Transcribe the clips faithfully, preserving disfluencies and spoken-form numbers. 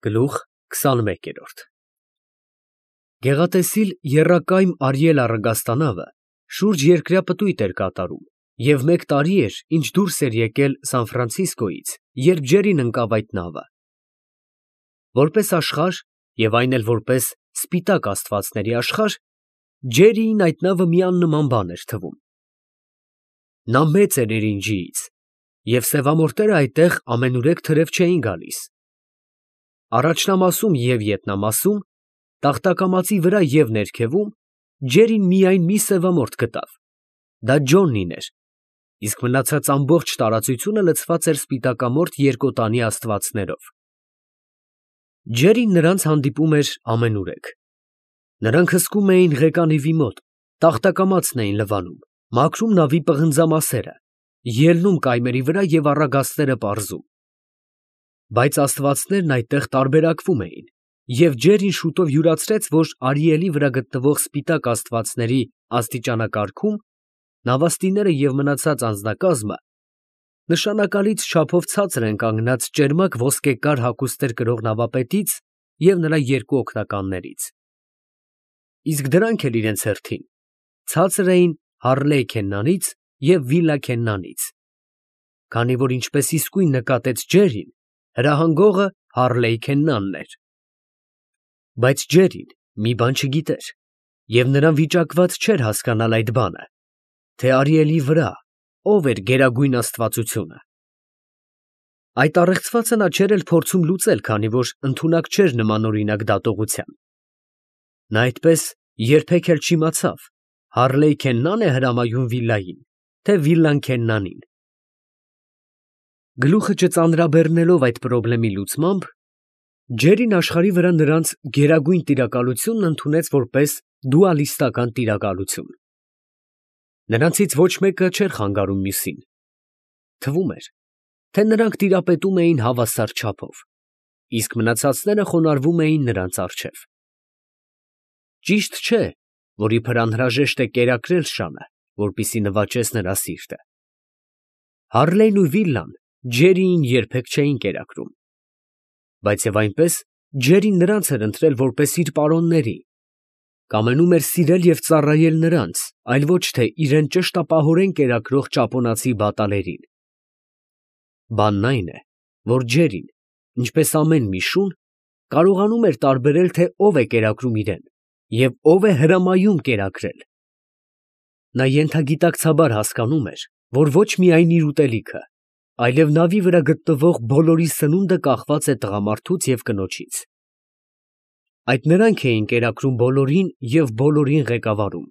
Գլուխ քսաներորդ Գեղատեսիլ եռակայմ Արիել առագաստանավը շուրջ երկրյա պտույտ էր կատարում և մեկ տարի էր, ինչ դուրս էր եկել Սան Ֆրանցիսկոյից, երբ Ջերին ընկավ այդ նավը։ Որպես աշխարհ և այն էլ որպես սպիտակ աստվածների աշխարհ, Ջերիին այդ նավը մի աննման բան էր թվում։ Նա մեծ էր Էրինջիից, և սևամորտերը այդտեղ ամենուրեք թրև չէին գալիս։ Առաջնամասում և ետնամասում, տախտակամածի վրա և ներքևում Ջերին միայն մի սևամորթ գտավ. դա Ջոննին էր, իսկ մնացած ամբողջ տարածությունը լցված էր սպիտակամորթ երկոտանի աստվածներով։ Ջերին նրանց հանդիպում էր ամենուրեք։ Նրանք հսկում էին ղեկանիվի մոտ, տախտակամածն էին լվանում, մաքրում նավի պղնձամասերը, ելնում կայմերի վրա և առագաստերը պարզում։ Բայց աստվածներն այդտեղ տարբերակվում էին, և Ջերին շուտով յուրացրեց, որ Արիելի վրա գտնվող սպիտակ աստվածների աստիճանակարգում նավաստիները և մնացած անձնակազմը նշանակալից չափով ցածր են կանգնած ճերմակ ոսկեկար հագուստներ կրող նավապետից և նրա երկու օգնականներից, իսկ դրանք էլ իրենց հերթին ցածր էին Հարլեյ Քեննանից և Վիլլա Քեննանից, քանի որ ինչպես իսկույն նկատեց Ջերին, հրահանգողը Հարլեյ Քեննանն էր։ Բայց Ջերին մի բան չգիտեր, և նրան վիճակված չէր հասկանալ այդ բանը, թե Արիելի վրա ով էր գերագույն աստվածությունը։ Այդ առեղծվածը նա չէր էլ փորձում լուծել, քանի որ ընդունակ չէր նմանօրինակ դատողության։ Նա այդպես երբեք էլ չիմացավ Հարլեյ Քեննա՞նն է հրամայում Վիլլային, թե Վիլլան Քեննանին։ Գլուխը չծանրաբեռնելով այդ պրոբլեմի լուծմամբ, Ջերին աշխարհի վրա նրանց գերագույն տիրակալությունն ընդունեց որպես դուալիստական տիրակալություն։ Նրանցից ոչ մեկը չէր խանգարում մյուսին։ Թվում էր, թե նրանք տիրապետում էին հավասար չափով, իսկ մնացածները խոնարհվում էին նրանց առջև։ Ճիշտ չէ, որ իբր անհրաժեշտ է կերակրել շանը, որպեսզի նվաճես նրա սիրտը։ Հարլեյն ու Վիլլան Ջերիին երբեք չէին կերակրում, բայց և այնպես Ջերին նրանց էր ընտրել որպես իր պարոնների, կամենում էր սիրել և ծառայել նրանց, այլ ոչ թե իրան ճշտապահորեն կերակրող ճապոնացի բատալերին։ Բանն այն է, որ Ջերին, ինչպես ամեն մի շուն, կարողանում էր տարբերել, թե ով է կերակրում իրան և ով է հրամայում կերակրել։ Նա ենթագիտակցաբար հասկանում էր, որ ոչ միայն իր ուտելիքը, այլև նավի վրա գտնվող բոլորի սնունդը կախված է տղամարդուց և կնոջից։ Այդ նրանք էին կերակրում բոլորին և բոլորին ղեկավարում։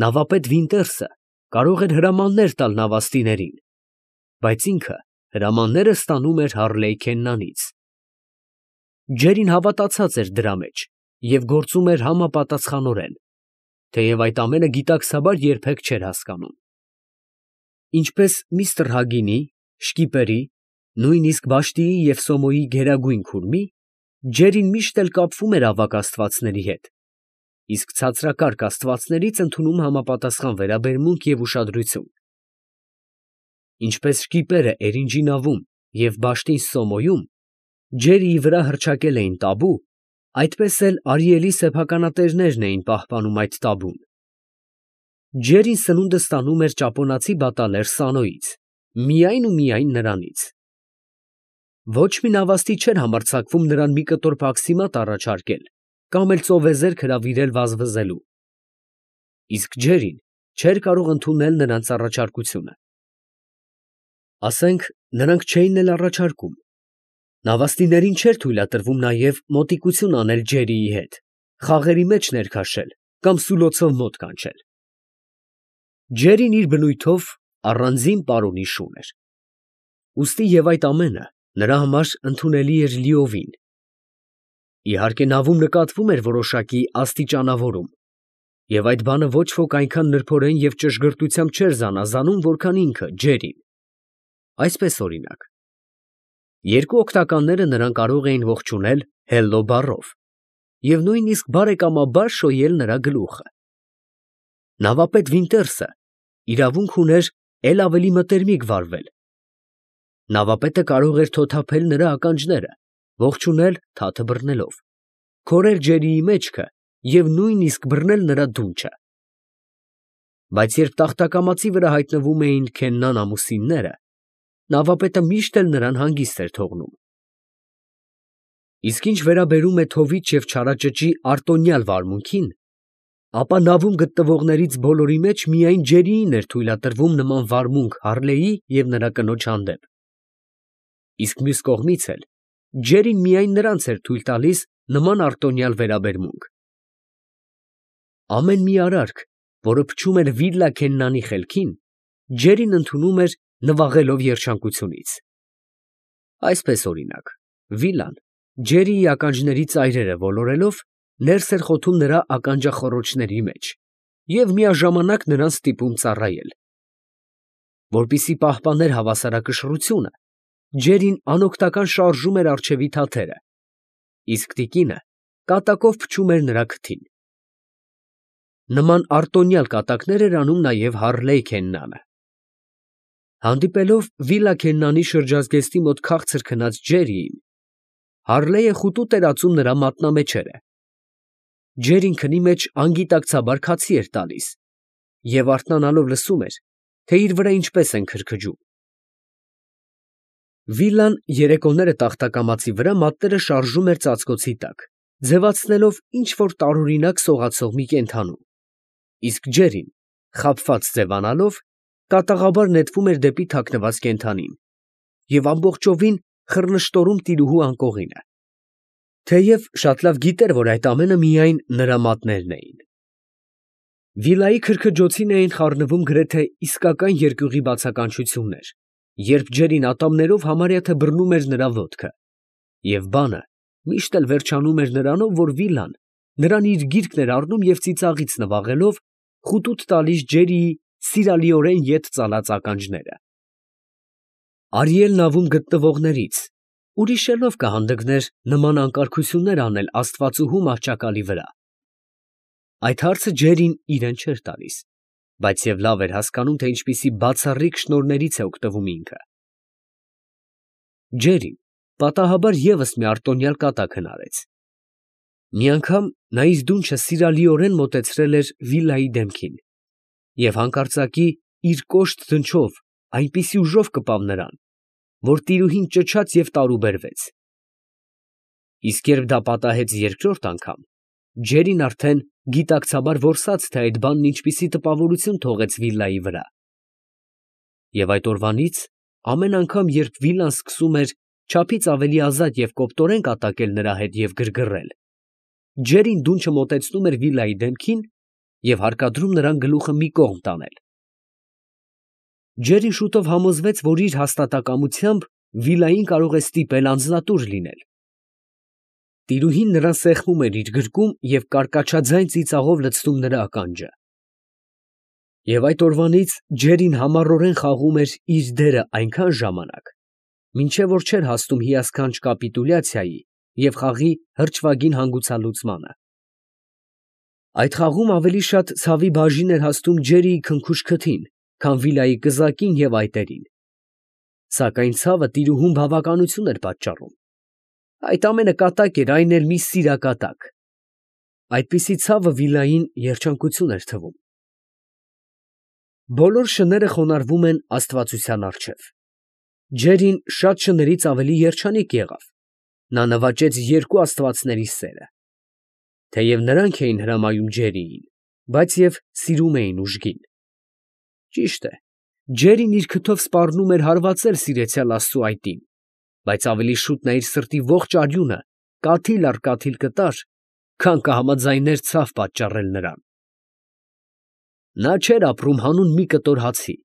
Նավապետ Վինտերսը կարող էր հրամաններ տալ նավաստիներին, բայց ինքը հրամանները ստանում էր Հարլեյ Քեննանից։ Ջերին հավատացած էր դրա մեջ և գործում էր համապատասխանորեն, թեև այդ ամենը գիտակցաբար երբեք չէր հասկանում։ Ինչպես միստր Հագինի, շկիպերի, նույնիսկ Վաշտիի և Սոմոյի գերագույն քուրմի, Ջերին միշտ էլ կապվում էր ավագ աստվածների հետ, իսկ ցածրակարգ աստվածներից ընդունում համապատասխան վերաբերմունք և ուշադրություն։ Ինչպես շկիպերը Էրինջի նավում և Բաշտին Սոմոյում Ջերիի վրա հռչակել էին տաբու, այդպես էլ Արիելի սեփականատերերն էին պահպանում այդ տաբուն։ Ջերին սնունդը ստանում էր ճապոնացի բատալեր Սանոյից, միայն ու միայն նրանից։ Ոչ մի նավաստի չէր համարձակվում նրան մի կտոր բաքսիմատ առաջարկել կամ էլ ծովեզերք հրավիրել վազվզելու, իսկ Ջերին չէր կարող ընդունել նրանց առաջարկությունը։ Ասենք, նրանք չէին էլ առաջարկում, նավաստիներին չէր թույլատրվում նաև մոտիկություն անել Ջերիի հետ, խաղերի մեջ ներքաշել կամ սուլոցով մոտ կանչել։ Ջերին իր բնույթով առանձին պարոնի շուն էր, ուստի և այդ ամենը նրա համար ընդունելի էր լիովին։ Իհարկե նավում նկատվում էր որոշակի աստիճանավորում, և այդ բանը ոչ ոք այնքան նրբորեն և ճշգրտությամբ չէր զանազանում, որքան ինքը Ջերին։ Այսպես օրինակ, երկու օգնականները նրան կարող էին ողջունել հելլո բառով և նույնիսկ բարեկամաբար շոյել նրա գլուխը։ Նավապետ Վինտերսը իրավունք ուներ էլ ավելի մտերմիկ վարվել։ Նավապետը կարող էր թոթափել նրա ականջները ողջունել թաթը բռնելով, քորել ջերիի մեջքը և նույնիսկ բռնել նրա դունչը։ Բայց երբ տախտակամածի վրա հայտնվում էին Քեննան ամուսինները, նավապետը միշտ էլ նրան հանգիստ էր թողնում։ Իսկ ինչ վերաբերում է թովիչ և չարաճճի արտոնյալ վարմունքին, ապա նավում գտնվողներից բոլորի մեջ միայն Ջերիին էր թույլատրվում նման վարմունք Հարլեի և նրա կնոջ հանդեպ, իսկ մյուս կողմից էլ Ջերին միայն նրանց էր թույլ տալիս նման արտոնյալ վերաբերմունք։ Ամեն մի արարք, որը փչում էր վիլլա Քեննանի խելքին, Ջերին ընդունում էր նվաղելով երջանկությունից։ Այսպես օրինակ, վիլլան Ջերիի ականջների ծայրերը ոլորելով ներս էր խոթում նրա ականջախոռոչների մեջ և միաժամանակ նրան ստիպում ծառայել։ Որպեսզի պահպաներ հավասարակշռությունը, Ջերին անօգնական շարժում էր առջևի թաթերը, իսկ տիկինը կատակով փչում էր նրա քթին։ Նման արտոնյալ կատակներ էր անում նաև Հարլեյ Քեննանը։ Հանդիպելով վիլլա Քեննանի շրջազգեստի մոտ քաղցր քնած Ջերիին, Հարլեյը խուտուտ էր ածում նրա մատնամեջերը։ Ջերին քնի մեջ անգիտակցաբար քացի էր տալիս և արթնանալով լսում էր, թե իր վրա ինչպես են քրքջում։ Վիլլան երեկոները տախտակամածի վրա մատները շարժում էր ծածկոցի տակ, ձևացնելով ինչ֊որ տարօրինակ սողացող մի կենդանու, իսկ Ջերին, խաբված ձևանալով, կատաղաբար նետվում էր դեպի թաքնված կենդանին և ամբողջովին խռնշտորում տիրուհու անկողինը, թեև շատ լավ գիտեր, որ այդ ամենը միայն նրա մատներն էին։ Վիլլայի քրքջոցին էին խառնվում գրեթե իսկական երկյուղի բացականչություններ, երբ Ջերին ատամներով համարյա թե բռնում էր նրա ոտքը, և բանը միշտ էլ վերջանում էր նրանով, որ վիլլան նրան իր գիրկն էր առնում և ծիծաղից նվաղելով խուտուտ տալիս Ջերիի սիրալիորեն ետ ծալած ականջները։ Արիել նավում գտնվողներից ուրիշ ով կհանդգներ նման անկարգություններ անել աստվածուհու մահճակալի վրա։ Այդ հարցը Ջերին իրեն չէր տալիս, բայց և լավ էր հասկանում, թե ինչպիսի բացառիկ շնորհներից է օգտվում ինքը։ Ջերին պատահաբար ևս մի արտոնյալ կատակ հնարեց։ Մի անգամ նա իր դունչը սիրալիորեն մոտեցրել էր վիլլայի դեմքին և հանկարծակի իր կոշտ դնչով այնպիսի ուժով կպավ նրան, որ տիրուհին ճչաց և տարուբերվեց։ Իսկ երբ դա պատահեց երկրորդ անգամ, Ջերին արդեն գիտակցաբար որսաց, թե այդ բանն ինչպիսի տպավորություն թողեց վիլլայի վրա։ Եվ այդ օրվանից ամեն անգամ, երբ վիլլան սկսում էր չափից ավելի ազատ և կոպտորեն կատակել նրա հետ և գրգռել, Ջերին դունչը մոտեցնում էր վիլլայի դեմքին և հարկադրում նրան գլուխը մի կողմ տանել։ Ջերին շուտով համոզվեց, որ իր հաստատակամությամբ վիլլային կարող է ստիպել անձնատուր լինել։ Տիրուհին նրան սեղմում էր իր գրկում և կարկաչաձայն ծիծաղով լցնում նրա ականջը։ Եվ այդ օրվանից Ջերին համառորեն խաղում էր իր դերը այնքան ժամանակ, մինչև որ չէր հասնում հիասքանչ կապիտուլյացիայի և խաղի հրճվագին հանգուցալուծմանը։ Այդ խաղում ավելի շատ ցավի բաժին էր հասնում Ջերիի քնքուշ քթին, քան վիլլայի կզակին և այտերին։ Սակայն ցավը տիրուհուն բավականություն էր պատճառում։ Այդ ամենը կատակ էր, այն էլ մի սիրակատակ։ Այդպիսի ցավը վիլլային երջանկություն էր թվում։ Բոլոր շները խոնարհվում են աստվածության առջև։ Ջերին շատ շներից ավելի երջանիկ եղավ։ Նա նվաճեց երկու աստվածների սերը։ Թեև նրանք էին հրամայում Ջերիին, բայց և սիրում էին ուժգին։ Ճիշտ է, Ջերին իր քթով սպառնում էր հարվածել սիրեցյալ աստծու այտին, բայց ավելի շուտ նա իր սրտի ողջ արյունը կաթիլ առ կաթիլ կտար, քան կհամաձայներ ցավ պատճառել նրան։ Նա չէր ապրում հանուն մի կտոր հացի,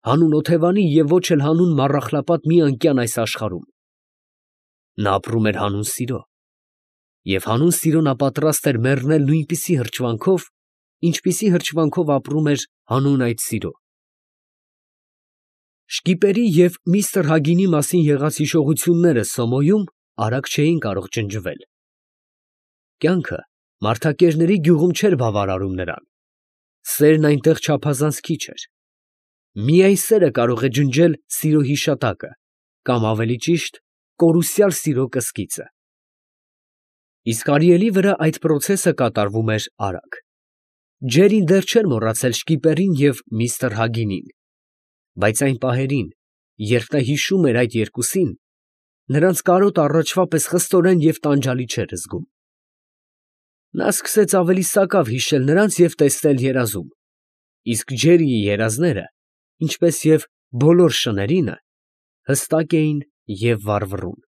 հանուն օթևանի և ոչ էլ հանուն մառախլապատ մի անկյան այս աշխարհում։ Նա ապրում էր հանուն սիրո, և հանուն սիրո նա պատրաստ էր մեռնել նույնպիսի հրճվանքով, ինչպիսի հրճվանքով ապրում էր հանուն այդ սիրո։ Շկիպերի և միստր Հագինի մասին եղած հիշողությունները Սոմոյում արագ չէին կարող ջնջվել։ Կյանքը մարդակերների գյուղում չէր բավարարում նրան։ Սերն այնտեղ չափազանց քիչ էր։ Միայն սերը կարող է ջնջել սիրո հիշատակը, կամ ավելի ճիշտ, կորուսյալ սիրո կսկիծը։ Իսկ Արիելի վրա այդ պրոցեսը կատարվում էր արագ։ Ջերին դեռ չէր մոռացել շկիպերին և միստր Հագինին, բայց այն պահերին, երբ նա հիշում էր այդ երկուսին, նրանց կարոտ առաջվա պես խստորեն և տանջալի չէր զգում։ Նա սկսեց ավելի սակավ հիշել նրանց և տեսնել երազում, իսկ Ջերիի երազները, ինչպես և բոլոր շներինը, հստակ էին և վառվռուն։